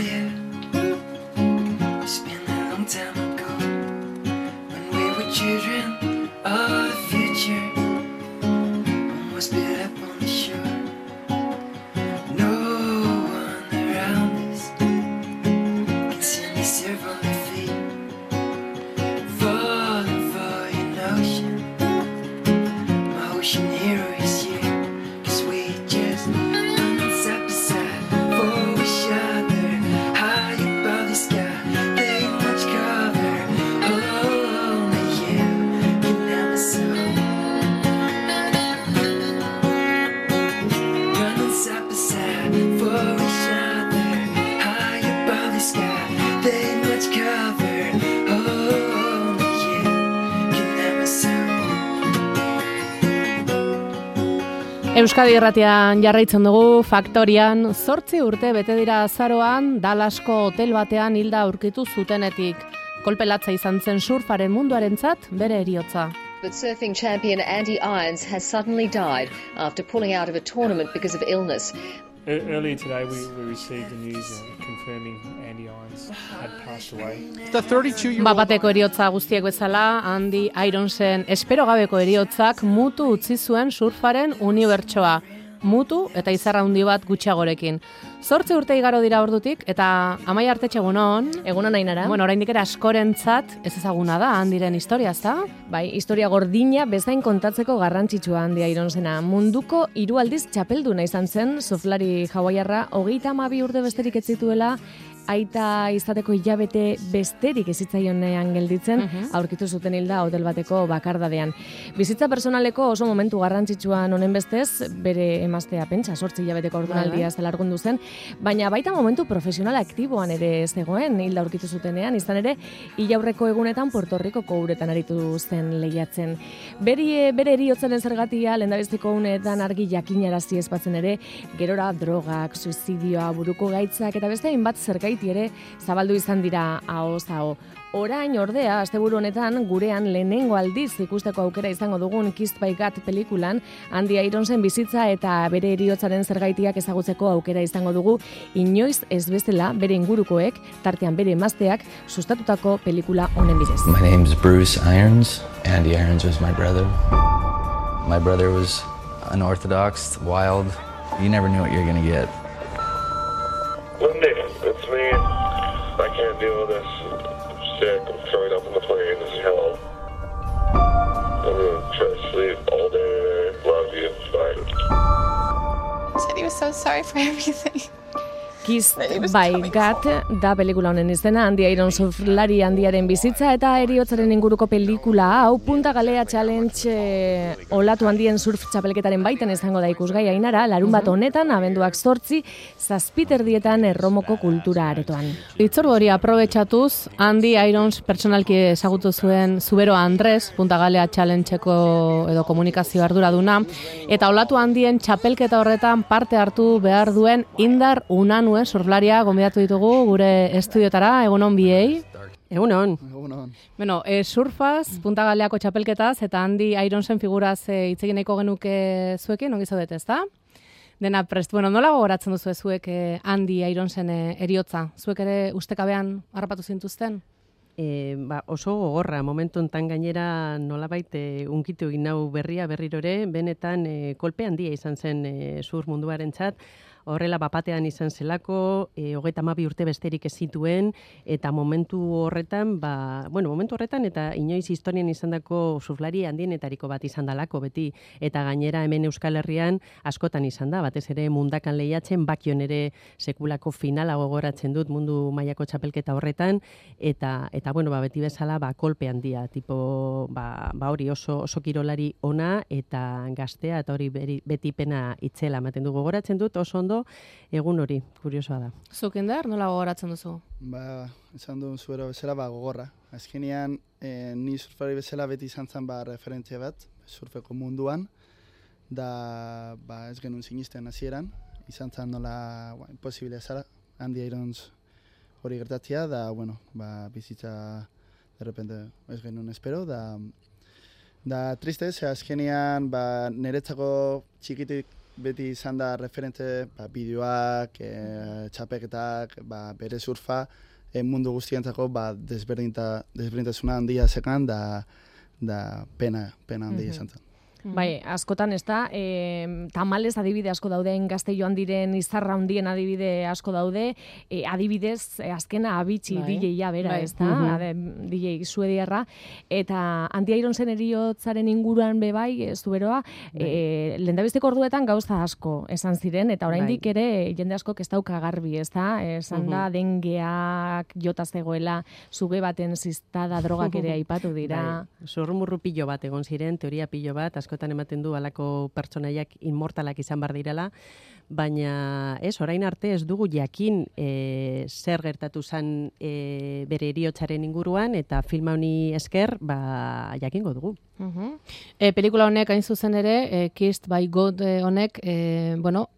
yeah. It's been a long time ago when we were children of the future. Almost built up on the shore. No one around us can see me serve on their feet. Falling for your notion. My ocean hero is you. 'Cause we just run side by side for each other. High above the sky, they much cover. Only you can never see. Running side by side for each other. High above the sky, they much cover. Only you can never see. Euskadi Irratian jarraitzen dugu Faktorian. 8 urte bete dira azaroan Dallasko hotel batean hilda aurkitu zutenetik. Kolpe latza izan zen surfaren munduarentzat bere heriotza. But surfing champion Andy Irons has suddenly died after pulling out of a tournament because of illness. Earlier today we received the news confirming Andy Irons had passed away. The 32-year-old Bapateko heriotza guztiek bezala, Andy Ironsen espero gabeko heriotzak mutu utzi zuen surfaren unibertsoa. Mutu eta izarra handi bat gutxiagorekin. 8 urte igaro dira ordutik eta Amaia Artetxe egunon. Egunon Ainara. Bueno, oraindik ere askorentzat ez ezaguna da Andiren historia, ezta? Bai, historia gordina bezain kontatzeko garrantzitsua Andy Ironsena. Munduko 3 aldiz txapelduna izan zen surflari hawaiarra, 32 urte besterik ez zituela, aita izateko hilabete besterik ez zitzaionean gelditzen, aurkitu zuten hilda hotel bateko bakardadean. Bizitza personaleko oso momentu garrantzitsuan honen bestez, bere emaztea pentsa, 8 hilabeteko ordunaldia ez dela argundu zen, baina baita momentu profesional aktiboan ere zegoen hilda aurkitu zutenean, izan ere, hilaurreko egunetan Puerto Ricoko uretan aritu zen lehiatzen. Bere heriotzaren zergatia, lehendabiziko unetan argi jakinarazi ez batzen ere, gerora drogak, suizidioa, buruko gaitzak eta beste hainbat zergaiti ere zabaldu izan dira ahoz aho. Orain ordea, asteburu honetan gurean lehenengo aldiz ikusteko aukera izango dugun Kissed by God pelikulan, Andy Ironsen bizitza eta bere heriotzaren zergaitiak ezagutzeko aukera izango dugu, inoiz ez bezala bere ingurukoek, tartean bere emazteak, sustatutako pelikula honen bidez. My name's Bruce Irons. Andy Irons was my brother. My brother was unorthodox, wild. You never knew what you're gonna get. Lindy, it's me. I can't deal with this. I'm sick. I'm throwing up in the plane. This is hell. I'm gonna try to sleep all day. Love you. Bye. He said he was so sorry for everything. Kissed by God da pelikula honen izena, Andy Irons surflari handiaren bizitza eta heriotzaren inguruko pelikula hau Punta Galea Challenge olatu handien surf txapelketaren baitan izango da ikusgai Ainara, larun bat honetan, abenduak 8, 7:30 Erromoko kultura aretoan. Hitzordu hori aprobetxatuz, Andy Irons pertsonalki ezagutu zuen Zubero Andres, Punta Galea Challengeko edo komunikazio arduraduna, eta olatu handien txapelketa horretan parte hartu behar duen Indar Unanue surflaria gonbidatu ditugu gure estudiotara, egunon biei. Egunon. Bueno, surfaz, Punta Galeako txapelketaz, eta Andy Ironsen figuraz hitz egin nahiko genuke zuekin, ongi zaudete, ezta? Dena prest. Bueno, nola gogoratzen duzu zuek Andy Ironsen heriotza? Zuek ere ustekabean harrapatu zintuzten? Oso gogorra, momentu enten gainera nolabait unkitu egin nau berriro ere, benetan kolpe handia izan zen surf munduarentzat. Horrela bapatean izan zelako, 32 urte besterik ez zituen, eta momentu horretan eta inoiz historian izandako surflari handienetariko bat izan dalako beti, eta gainera hemen Euskal Herrian askotan izan da, batez ere mundakan lehiatzen, bakion ere sekulako finala gogoratzen dut mundu mailako txapelketa horretan, eta beti bezala kolpe handia, tipo hori oso kirolari ona eta gaztea, eta hori beti pena itzela ematen du gogoratzen dut, oso ondo egun hori, kuriosoa da. Zuk Indar, nola gogoratzen duzu? Esan duen zuero bezala, gogorra. Azkenean, ni surfari bezala beti izan zen referentzia bat, surfeko munduan, da ez genuen sinisten hasieran, izan zen nola imposible zara, Andy Irons hori gertatzea, da, bizitza de repente ez genuen espero, da triste, azkenean niretzako txikitik beti izan da referente bideoak, txapeketak, bere surfa, mundu guztientzako desberdintasuna handia zekan da pena handia izan zen. Bai, askotan ez da, tamalez adibide asko daude, gazte joan diren izarra handien adibide asko daude, adibidez, azkena abitxi DJ-a bera, ez da, DJ suediarra, eta Andy Ironsen eriotzaren inguruan bebai, zuberoa, lehendabizteko orduetan gauza asko esan ziren, eta oraindik ere jende asko ez dauka garbi, ez da, esan da, dengeak jota zegoela, zuge baten ziztada drogak ere aipatu dira. Zurrumurru pilo bat egon ziren, teoria pilo bat, askotan ematen du alako pertsonaiak inmortalak izan bar direla, baina orain arte ez dugu jakin zer gertatu zen bere heriotzaren inguruan, eta filma honi esker jakingo dugu. Pelikula honek hain zuzen ere, Kissed by God honek,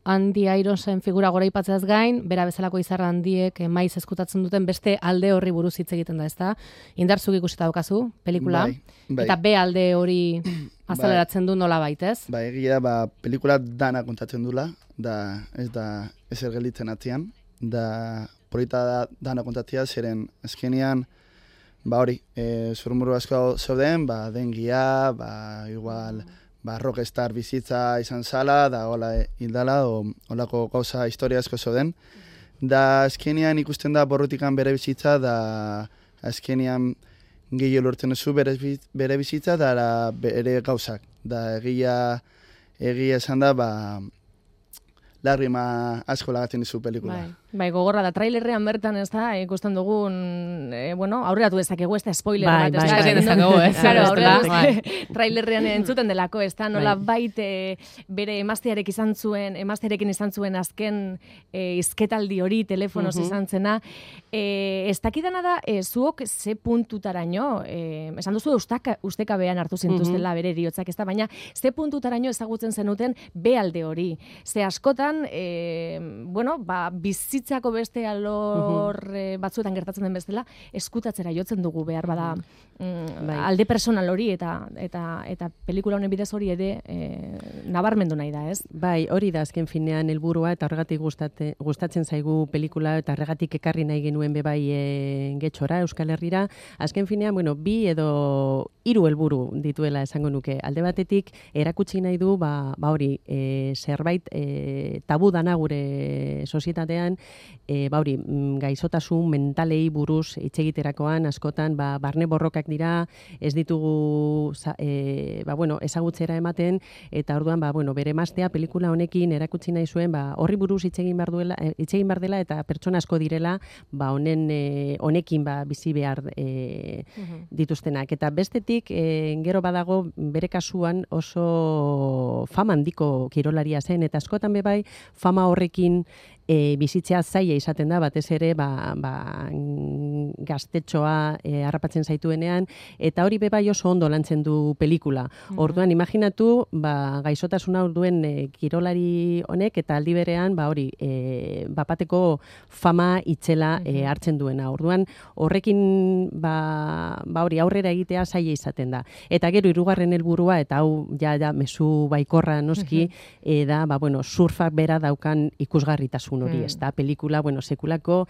Andy Ironsen figura goraipatzeaz gain, bera bezalako izarra handiek maiz eskutatzen duten beste alde horri buruz hitz egiten da, ezta? Indartzuk ikusita daukazu pelikula, eta B alde hori azaleratzen du nola baitez? Egia pelikula dana kontatzen dula, da ez da ezer gelditzen atzian, da polita dana kontatzea zeren azkenean hori, zurrumurru asko zeuden, dengia, igual, rockstar bizitza izan zala, da hola hildala, holako gauza historia asko zeuden. Da azkenean ikusten da borrutikan bere bizitza, da azkenean gehiago lortzen duzu bere bizitza, da bere gauzak. Da egia esan da, lagrima asko lagatzen dizu pelikula. Bai, gogorra da, trailerrean bertan ez da, ikusten dugun, aurreratu dezakegu, ez da spoiler bat, trailerrean entzuten delako, ez da, nola baite bere emaztearekin izan zuen azken izketaldi hori, telefonoz izan zena, ez dakidana da, zuok ze puntutaraino, esan duzu ustekabean hartu zintuztela bere eriotzak, ez da, baina ze puntutaraino ezagutzen zenuten behalde hori, ze askotan, bizitzako beste alor batzuetan gertatzen den bezala, eskutatzera jotzen dugu behar bada alde personal hori eta pelikula honen bidez hori ere nabarmendu nahi da, ez? Bai, hori da azken finean helburua eta horregatik gustatzen zaigu pelikula eta horregatik ekarri nahi genuen bebai Getxora, Euskal Herrira. Azken finean, 2 edo 3 helburu dituela esango nuke. Alde batetik erakutsi nahi du hori zerbait tabu dana gure sozietatean, gaizotasun mentalei buruz hitz egiterakoan askotan barne borrokak dira, ez ditugu ezagutzera ematen, eta orduan bere emaztea pelikula honekin erakutsi nahi zuen horri buruz hitz egin behar dela eta pertsona asko direla honekin bizi behar dituztenak. Eta bestetik gero badago bere kasuan oso fama handiko kirolaria zen, eta askotan bebai fama horrekin bizitzea zaila izaten da, batez ere gaztetxoa harrapatzen zaituenean, eta hori bebai oso ondo lantzen du pelikula. Orduan, imaginatu, gaizotasuna duen kirolari honek, eta aldi berean, bapateko fama itzela hartzen duena. Orduan, horrekin aurrera egitea zaila izaten da. Eta gero, 2. helburua, eta hau mezu baikorra noski, da, surfak bera daukan ikusgarritasun hori, ez da, pelikula, sekulako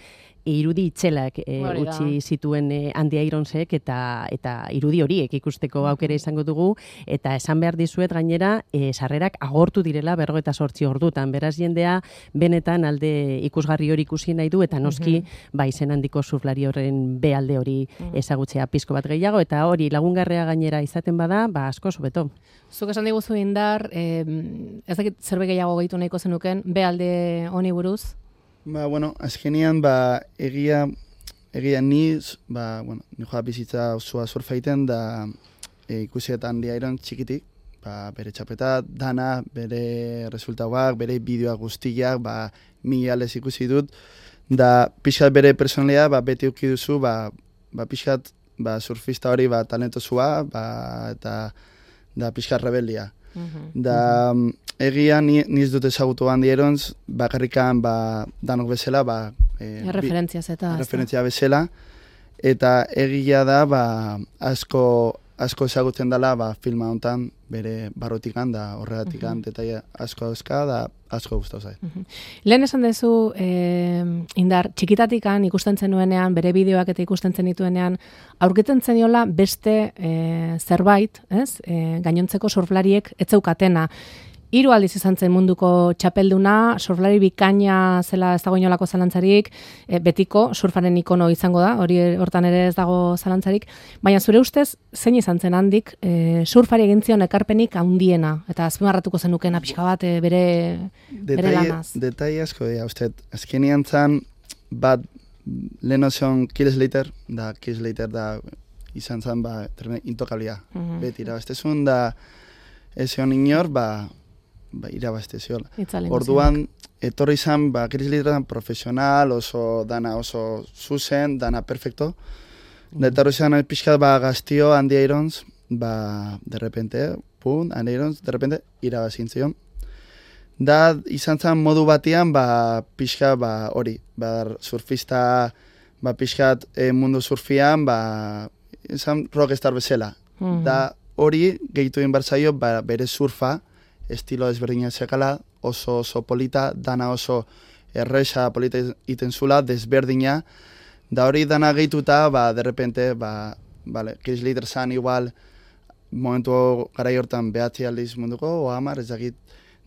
irudi itzelak utzi zituen Andy Ironsek, eta irudi horiek ikusteko aukera izango dugu, eta esan behar dizuet gainera, sarrerak agortu direla 48 ordutan, beraz jendea benetan alde ikusgarri hori ikusi nahi du, eta noski izen handiko surflari horren behalde hori ezagutzea pizko bat gehiago, eta hori lagungarrea gainera izaten bada, asko zubeto. Zuk esan diguzu Indar, ez dakit zerbait gehiago gehitu nahiko zenuken, behalde honi buruz? Azkenean, egia ni joa bizitza osoa surfa egiten, da ikusietan Andy Irons txikitik, bere txapeta, dana, bere resultauak, bere bideoak guztiak, milales ikusi dut, da pixkat bere personalia, beti uki duzu, pixkat surfista hori talentosua, eta da pixkat rebeldia. Da egia niz dut ezagutu Andy Irons, bakarrikan danok bezala, referentzia bezala, eta egia da asko asko ezagutzen dela filma hontan bere barrutikan da horregatikan detaile asko dauzka da asko gustatu zait. Lehen esan duzu Indar txikitatikan ikusten zenuenean, bere bideoak eta ikusten zenituenean aurkitzen zeniola beste zerbait, ez? Gainontzeko surflariek ez zeukatena. 3 aldiz izan zen munduko txapelduna, surflari bikaina zela ez dago inolako zalantzarik, betiko surfaren ikono izango da, hortan ere ez dago zalantzarik, baina zure ustez, zein izan zen handik, surfari egin zion ekarpenik handiena, eta azpimarratuko zenukena pixka bat bere lanaz. Detaile asko dira, azkenean zan, bat leheno zion Kill Slater da izan zan, intokablia, beti irabaztezun, da ez zion inor, irabazte ziola. Orduan, etorri izan, Chris Slater profesional, dana oso zuzen, dana perfecto. Da etorri izan pixkat gaztio Andy Irons, de repente, Andy Irons, de repente, irabazin zion. Da izan zen modu batian, pixkat hori, surfista, pixkat mundu surfian, izan rockstar bezala. Da hori, gehitu egin barzaio, bere surfa, estilo desberdina zekala, oso polita, dana oso erresa polita iten zula, desberdina, da hori dana gehituta, de repente, Chris Slater zan igual, momentu garai hortan behatzi aldiz munduko, o 10, ez dakit,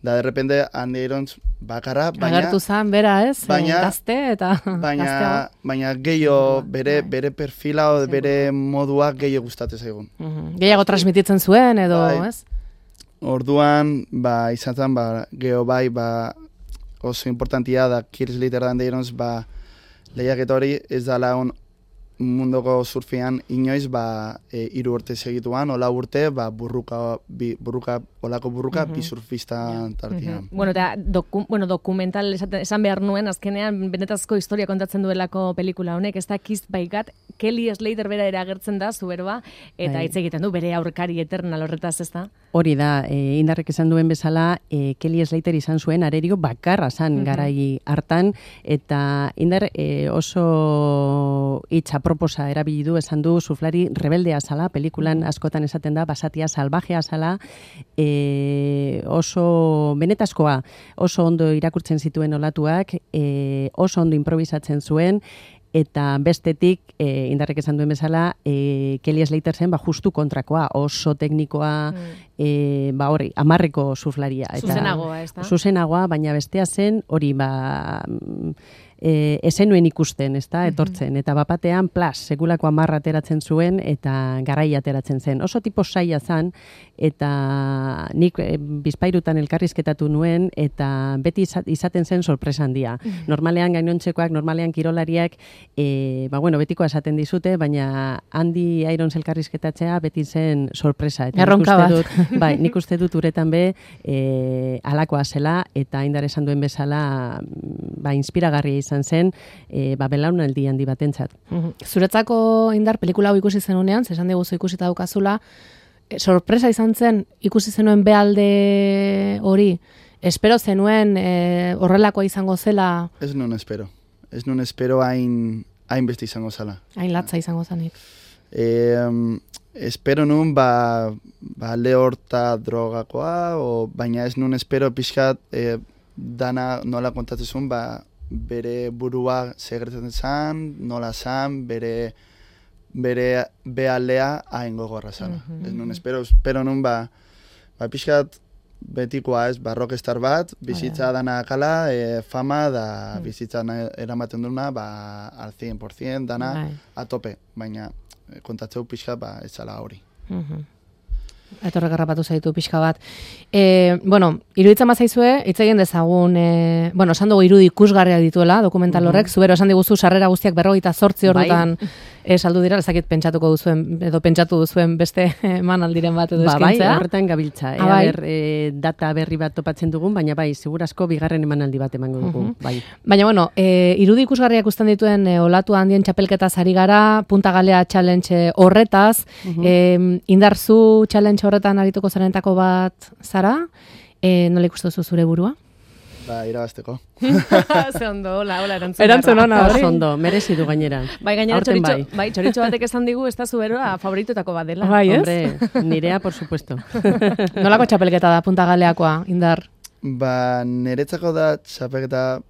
da de repente Andy Irons bakarra, baina... Agertu zan, bera ez, gazte eta gazteago. Baina gehiago, bere perfila, bere modua gehiago gustatzen zaigun. Gehiago transmititzen zuen, edo, ez? Orduan, izan zen, geho oso importantia da Chris Slater da Andy Irons, lehiaketa hori ez dala munduko surfian inoiz 3 urte segituan, ola urte, olako burruka bi surfistan tartian. Eta dokumental esan behar nuen, azkenean benetazko historia kontatzen duelako pelikula honek, ez da Kissed by God, Kelly Slater bera ere agertzen da, zuberoa, eta hitz egiten du bere aurkari eternal horretaz, ez da? Hori da, Indarrek esan duen bezala, Kelly Slater izan zuen arerio bakarra zan garai hartan, eta Indar oso hitza proposa erabili du, esan du surflari rebeldea zala, pelikulan askotan esaten da, basatia salvajea zala, oso benetazkoa, oso ondo irakurtzen zituen olatuak, oso ondo improvisatzen zuen, eta bestetik, Indarrek esan duen bezala, Kelly Slater zen justu kontrakoa, oso teknikoa, hori, 10ko surflaria. Zuzenagoa, ez da? Zuzenagoa, baina bestea zen, hori, ezenuen ikusten, ez da, etortzen. Eta bapatean, sekulako 10 ateratzen zuen, eta garai ateratzen zen. Oso tipo saia zen, eta nik bizpairutan elkarrizketatu nuen, eta beti izaten zen sorpresa handia. Normalean gainontzekoak, normalean kirolariak, betikoa esaten dizute, baina Andy Irons elkarrizketatzea beti zen sorpresa. Erronka bat. Nik uste dut uretan alakoa zela, eta Indar esan duen bezala, inspiragarria izan zen, belaunaldi handi batentzat. Zuretzako Indar pelikula hau ikusi zenunean, esan diguzu ikusita daukazula, sorpresa izan zen ikusi zenuen bealde hori, espero zenuen horrelakoa izango zela? Ez nun espero hain beste izango zela. Hain latza izango zanik. Espero nun lehorta drogakoa, baina ez nun espero pixkat dana nola kontatzen bere burua segretzen zan, nola zan, bere bealdea hain gogorra zala. Ez nun espero nun pixkat betikoa ez, rockstar bat, bizitza dana kala, fama da bizitza eramaten duna al 100%, dana a tope, baina kontatzeu pixka ez zala hori. Etorrek harrapatu zaitu pixka bat. Iruditzen bazaizue, hitz egin dezagun, esan dugu irudi ikusgarria dituela, dokumental horrek, zubero esan diguzu sarrera guztiak 48 ordutan saldu dira, ezakit pentsatuko duzuen, edo pentsatu duzuen beste emanaldiren bat edo eskintzea. Horretan gabiltza, data berri bat topatzen dugun, baina segurazko bigarren emanaldi bat emango dugu. Baina, irudi ikusgarriak usten dituen olatu handien txapelketaz ari gara, Punta Galea challenge horretaz, Indarzu challenge horretan arituko zarenetako bat zara, nola ikusten duzu zure burua? Ba, irabazteko. Ze ondo, hola erantzun. Erantzun ona, hori. Ondo, merezi du gainera. Bai, gainera Aurten txoritxo batek esan digu ez da zuberoa favorituetako bat dela. Bai, ez? Hombre, nirea, por supuesto. Nolako txapelketa da Punta Galeakoa, Indar? Ba, niretzako da txapelketa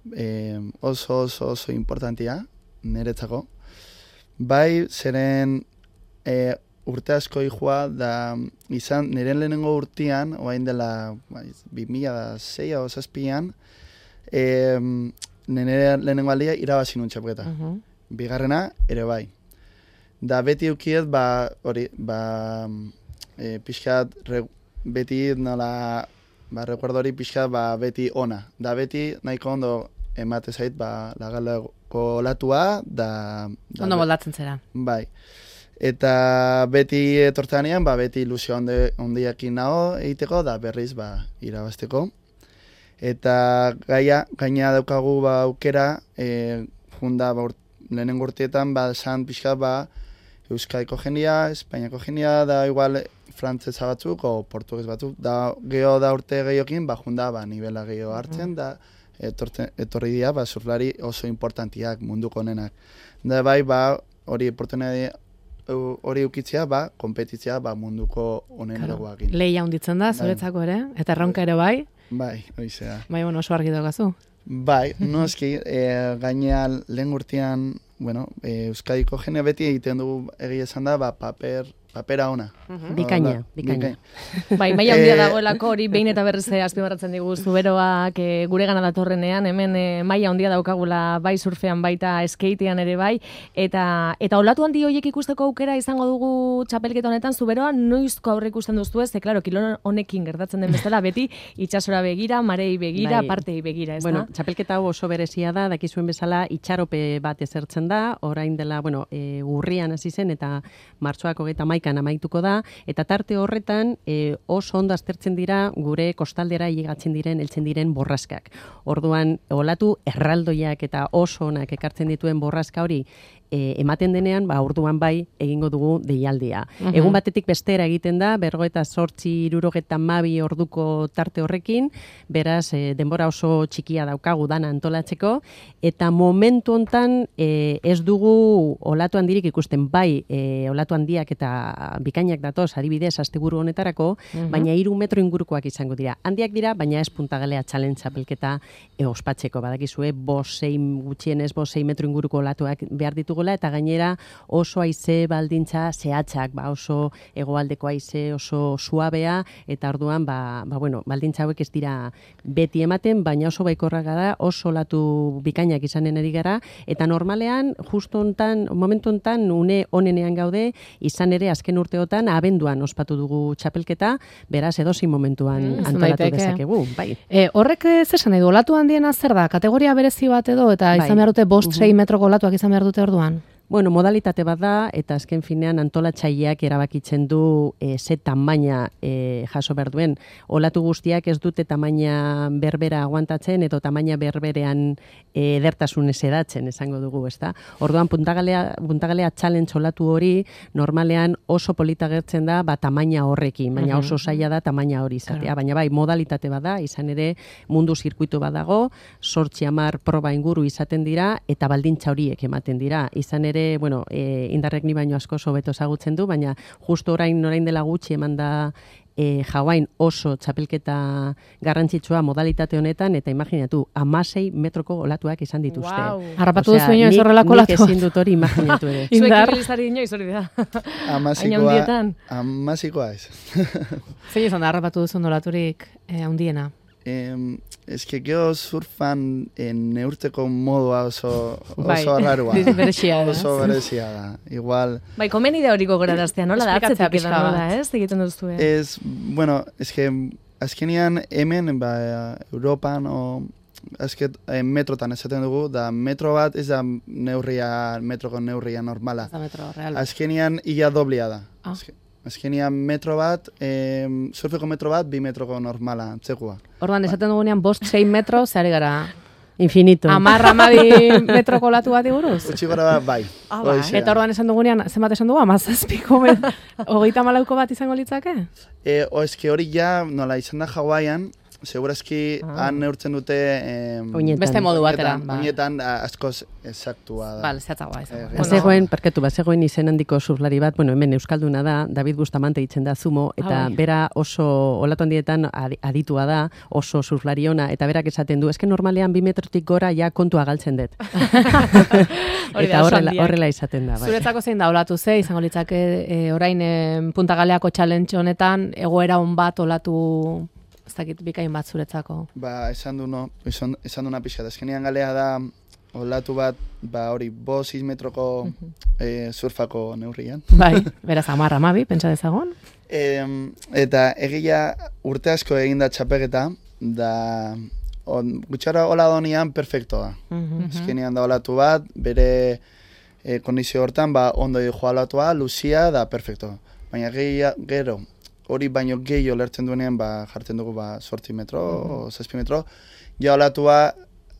oso importantia, niretzako. Bai, zeren urte asko ihua da izan, niren lehenengo urtean, oain dela 2006 o 2007an, nire lehenengo aldia irabazi nun txapelketa. Bigarrena, ere bai. Da beti eukiet, pixkat, beti nola, recuerdo hori pixkat, beti ona. Da beti nahiko ondo emate zait, lagaleko olatua, da... Ondo moldatzen zera. Bai. Eta beti etortzeanean, beti ilusio ondiakin nago egiteko, da berriz irabazteko. Eta gaina daukagu aukera, lehenengo urteetan, esan pixka, Euskadiko jendia, Espainiako jendia, da igual frantzesa batzuk, o portugues batzuk, da geho da urte gehiokin, nivela geho hartzen, da etorri dira, surflari oso importantiak munduko honenak. Da bai, hori oportunidade hori ukitzea, kompetitzea munduko honeneragoakin. Lehia hunditzen da, zuretzako ere, eta erronka ere bai. Bai, hori zera. Bai, oso argi daukazu. Bai, noski, gaina lehen urtean, Euskadiko jene beti egiten dugu egia esan da, papera ona. Bikaina. Bai, maila handia dagoelako hori behin eta berriz azpimarratzen digu zuberoak gure gana datorrenean, hemen maila handia daukagula bai surfean baita skatean ere bai, eta olatu handi horiek ikusteko aukera izango dugu txapelketa honetan zuberoa noizko aurre ikusten duztu ez, klaro, kilon honekin gertatzen den bezala beti itxasora begira, marei begira, partei begira, ez da? Bueno, txapelketa hau oso berezia da, dakizuen bezala itxarope bat ezertzen da, orain dela, urrian hasi zen eta martxoak 31 amaituko da, eta tarte horretan oso ondo aztertzen dira gure kostaldera llegatzen diren, heltzen diren borraskak. Orduan, olatu erraldoiak eta oso onak ekartzen dituen borraska hori ematen denean, orduan bai egingo dugu deialdia. Egun batetik bestera egiten da, 48-72 orduko tarte horrekin, beraz, denbora oso txikia daukagu dana antolatzeko, eta momentu hontan ez dugu olatu handirik ikusten, bai olatu handiak eta bikainak datoz, adibidez, asteburu honetarako, baina 3 metro ingurukoak izango dira. Handiak dira, baina ez Punta Galea Challenge txapelketa ospatzeko, badakizue, 5-6 metro inguruko olatuak behar ditugu, eta gainera oso haize baldintza zehatzak, oso hegoaldeko haize oso suabea, eta orduan baldintza hauek ez dira beti ematen, baina oso baikorrak gara, oso olatu bikainak izanen ari gara, eta normalean, justo hontan, momentu hontan, une onenean gaude, izan ere azken urteotan abenduan ospatu dugu txapelketa, beraz edozein momentuan antolatu dezakegu. Horrek zesan nahi du, olatu handiena zer da, kategoria berezi bat edo, eta izan behar dute 5-6 metroko olatuak izan behar dute orduan? Bueno, modalitate bat da, eta azken finean antolatzaileak erabakitzen du ze tamaina jaso behar duen. Olatu guztiak ez dute tamaina berbera aguantatzen, edo tamaina berberean edertasun edatzen, esango dugu, ezta? Orduan, Punta Galea Challenge olatu hori, normalean oso polita gertzen da, tamaina horrekin, baina oso zaila da tamaina hori izatea. Baina bai, modalitate bat da, izan ere mundu zirkuitu bat dago, 8-10 proba inguru izaten dira, eta baldintza horiek ematen dira. Izan ere, Indarrek ni baino asko hobeto ezagutzen du, baina justo orain dela gutxi eman da Hawain oso txapelketa garrantzitsua modalitate honetan, eta imaginatu, 16 metroko olatuak izan dituzte. Harrapatu duzu inoiz horrelako olatu. Nik ezin dut hori imaginatu ere. Zuek ibilizari inoiz hori da. Amasikoa ez. Zein izan da harrapatu duzu olaturik handiena? Ez que geho surfan neurteko modua oso arrarua. Oso berezia da. Igual... Bai, komeni da hori gogoraraztea, nola da? Atzetik edan nola, ez? Egiten duzu. Ez que azkenian hemen, Europan, metrotan esaten dugu, da metro bat ez da metroko neurria normala. Ez da metro real. Azkenian ia doblia da. Azkenian metro bat, surfeko metro bat, 2 metroko normala, txekua. Orduan, esaten dugunean 5-6 metro, zehari gara... Infinito. 10 metroko olatu bat iguruz? Utsi gora bat, bai. Eta orduan esan dugunean, zenbat esan dugu, 17ko 34 bat izango litzake? Eske hori ja, nola izan da Hawaiian, segurazki han neurtzen dute beste modu batera. Oinetan askoz exactua da. Bale, zehatzagoa izan. Bazegoen, bazegoen izen handiko surflari bat, hemen Euskalduna da, David Bustamante ditzen da Zumo, eta bera oso olatu handietan aditua da, oso surflari ona, eta berak esaten du, eske normalean 2 metrotik gora ja kontua galtzen dut. Eta horrela izaten da. Zuretzako zein da olatu izango litzake orain Punta Galeako challenge honetan, egoera on bat olatu, ez dakit bikain bat zuretzako? Esan duna pixka, azkenean Galea da olatu bat, hori 5-6 metroko surfako neurrian. Bai, beraz 10-12, pentsa dezagon. Eta egia urte asko eginda txapeketa, da gutxara ola donian perfectoa. Azkenean da olatu bat, bere kondizio hortan, ondo joa olatua, luzia, da perfecto. Baina gero, hori baino gehiago lertzen duenean, jartzen dugu 8 metro, 7 metro, ja olatua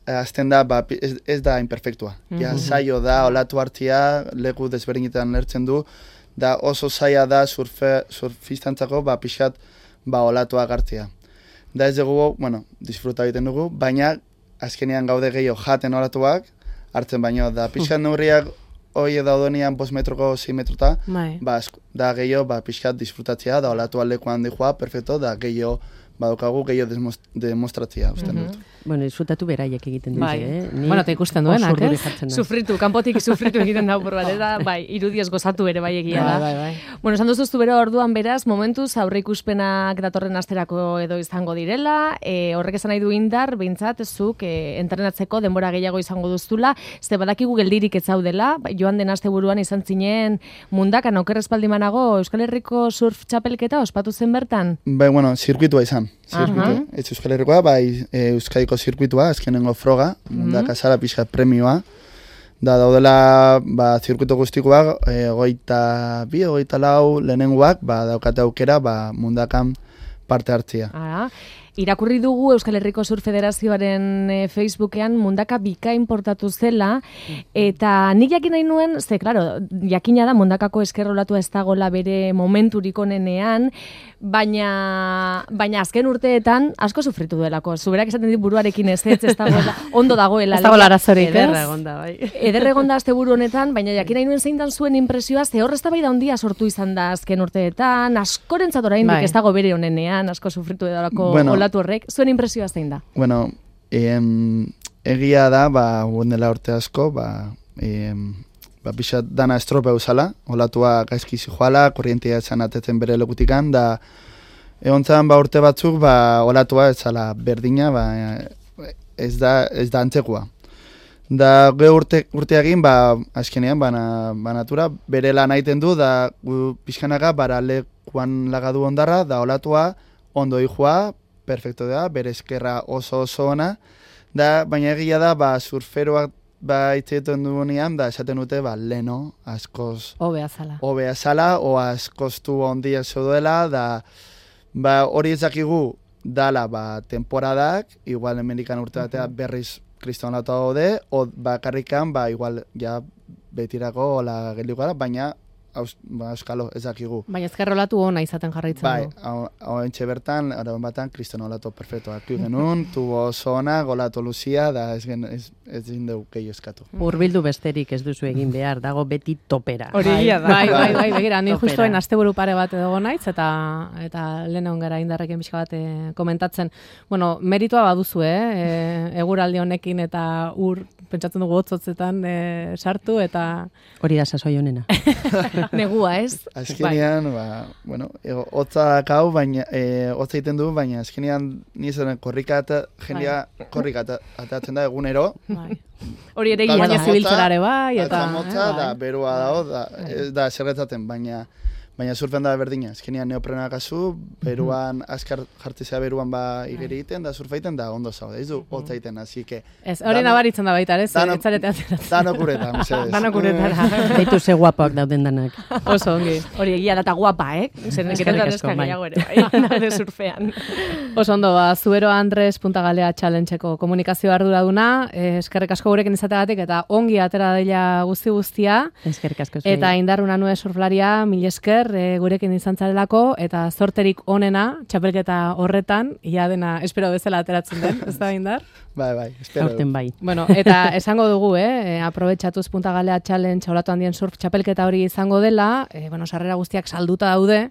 azten da, ez da imperfektua. Ja zailo da, olatu hartia, leku desberdinetan lertzen du, da oso zaila da surfistantzako pixat olatua gartzia. Da ez dugu, disfruta egiten dugu, baina azkenean gaude gehiago jaten olatuak, hartzen baino, da pixat neurriak hoi daudenean 5 metroko 6 metrota, da gehiago pixat disfrutatzea, da olatua lekuan dihoa, perfecto, da gehiago badokagu gehiago demostratzea, usten dut. Disfrutatu beraiek egiten dute, eta ikusten duenak, sufritu, kanpotik sufritu egiten da por bat, eta irudiez gozatu ere bai egia da. Esan duzuztu bero orduan beraz, momentuz aurre ikuspenak datorren asterako edo izango direla, horrek esan nahi du indar, behintzat, zuk entrenatzeko denbora gehiago izango duztula, ze badakigu geldirik ez zaudela, joan den asteburuan izan zinen mundakan okerrezpaldimanago Euskal Herriko surf txapelketa ospatu zen bertan? Zirkuitua izan. Ez Euskal Herrikoa, Euskadiko zirkuitua, azkenengo froga, mundaka zara pixka premioa. Da daudela zirkuito guztikoak, 22-24 lehenengoak, daukate aukera mundakan parte hartzia. Irakurri dugu Euskal Herriko Surf Federazioaren Facebookean mundaka bikain portatu zela, eta nik jakin nahi nuen, jakina da mundakako eskerrolatua ez dagoela bere momenturik onenean, baina azken urteetan asko sufritu duelako. Zuberak esaten dit buruarekin ez dagoela, ondo dagoela. Ez dagoela arazorik, ez? Eder egonda asteburu honetan, baina jakin nahi nuen zein dan zuen impresioa, ze hor eztabaida handia sortu izan da azken urteetan, askorentzat oraindik ez dago bere onenean, asko sufritu edalako olatu horrek, zuen impresioa zein da? Egia da, dela urte asko, pixat dana estropeu zala, olatua gaizki zijoala, korrientia esan atetzen bere lekutikan, da egontzan urte batzuk olatua ez zala berdina, ez da antzekua. Da ge urteagin, azkenean, natura, bere lan aiten du, da pixkanaga, lekuan lagadu ondarra, da olatua ondo ihua, perfecto da, bere eskerra oso ona, baina egia da, surferoak itzeetan dugunean, esaten dute, leno, askoz hobea zala, o askoztu ondia zeuduela, hori ezakigu dala, temporadak, igual Amerikan urte batea berriz kriston latu daude, o bakarrikan, igual, betirako la geldiko gara, baina euskalo, ezakigu. Baina ezkerrolatu ona izaten jarraitzen du. Hauentxe bertan, araban batan, kriston olato perfecto. Aki genuen, tubo oso ona, golato luzia, da ez dindeu gehiago eskatu. Urbildu besterik ez duzu egin behar, dago beti topera. Hori da. Bai, begira, ni justoen asteburu pare bat edo naiz, eta lehen egon gara indarrekin pixka bat komentatzen. Meritua baduzu, eguraldi honekin eta pentsatzen dugu hotzotzetan sartu, eta... Hori da sasoi honena. Negua, ez? Azkenean, hotza dakau, baina, hotza egiten du, baina azkenean nizaren jendea korrika atatzen da egunero. Hori ere gila da zibiltzerare bai, eta motza, da berua dago, da zerretzaten, baina surfen da berdina. Azkenean neoprena kasu, beruan, azkar jartzea beruan igeri egiten, da surfa egiten, da ondo zaude. Ez du hotza egiten, así que... Ez, hori nabaritzen da baita, ez? Danok uretan, mesedez. Danok uretan. Beitu ze guapak dauden danak. Oso ongi. Hori egia da eta guapa, Zer neketan eska gehiago ere, surfean. Oso ondo, Zubero Andres Punta Galea Challengeko komunikazio arduraduna, eskerrik asko gurekin izategatik, eta ongi atera daila guztia. Eskerrik asko. Eta Indarruna Nue surflaria, mil esker, esker gurekin izan zarelako, eta zorterik onena, txapelketa horretan, ia dena espero bezala ateratzen den, ez da Indar? Bai, espero. Aurten bai. Bueno, eta esango dugu, aprobetxatuz Punta Galea Challenge Olatu Handien surf txapelketa hori izango dela, sarrera guztiak salduta daude,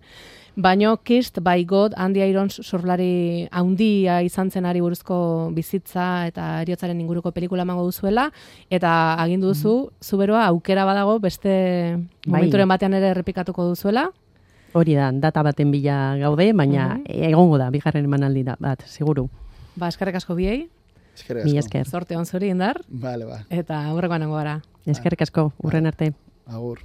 baino Kissed by God Andy Irons surflari handia izan zenari buruzko bizitza eta heriotzaren inguruko pelikula emango duzuela, eta agindu duzu, zuberoa aukera badago beste momenturen batean ere errepikatuko duzuela. Hori da, data baten bila gaude, baina egongo da, bigarren emanaldi da, bat, seguru. Eskerrik asko biei. Eskerrik asko. Mi esker. Zorte on zuri, Indar. Vale. Eta aurrekoan nengo gara. Eskerrik asko, urren arte. Agur.